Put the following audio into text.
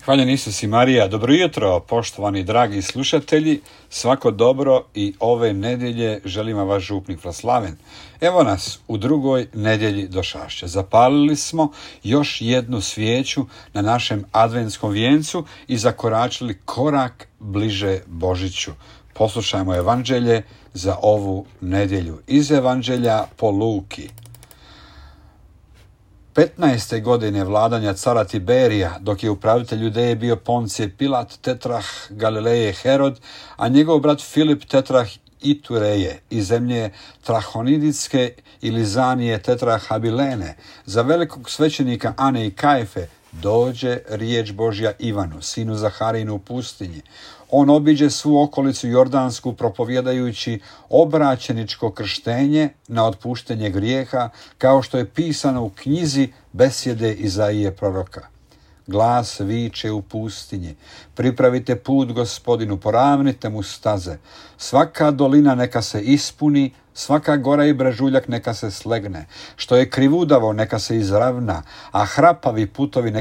Hvaljen Isus i Marija. Dobro jutro, poštovani dragi slušatelji. Svako dobro i ove nedjelje želim vam vaš župnik Vlaslaven. Evo nas u drugoj nedjelji došašća. Zapalili smo još jednu svijeću na našem adventskom vijencu i zakoračili korak bliže Božiću. Poslušajmo evanđelje za ovu nedjelju. Iz evanđelja po Luki. 15. godine vladanja cara Tiberija, dok je upravitelj Judeje bio Poncije Pilat, tetrah Galileje Herod, a njegov brat Filip tetrah Itureje iz zemlje Trahoniditske ili Zanije tetrah Abilene, za velikog svećenika Ane i Kajfe dođe riječ Božja Ivanu, sinu Zaharijinu u pustinji. On obiđe svu okolicu Jordansku propovjedajući obraćeničko krštenje na otpuštenje grijeha, kao što je pisano u knjizi besjede Izaije proroka. Glas viče u pustinji, pripravite put Gospodinu, poravnite mu staze. Svaka dolina neka se ispuni, svaka gora i brežuljak neka se slegne. Što je krivudavo neka se izravna, a hrapavi putovi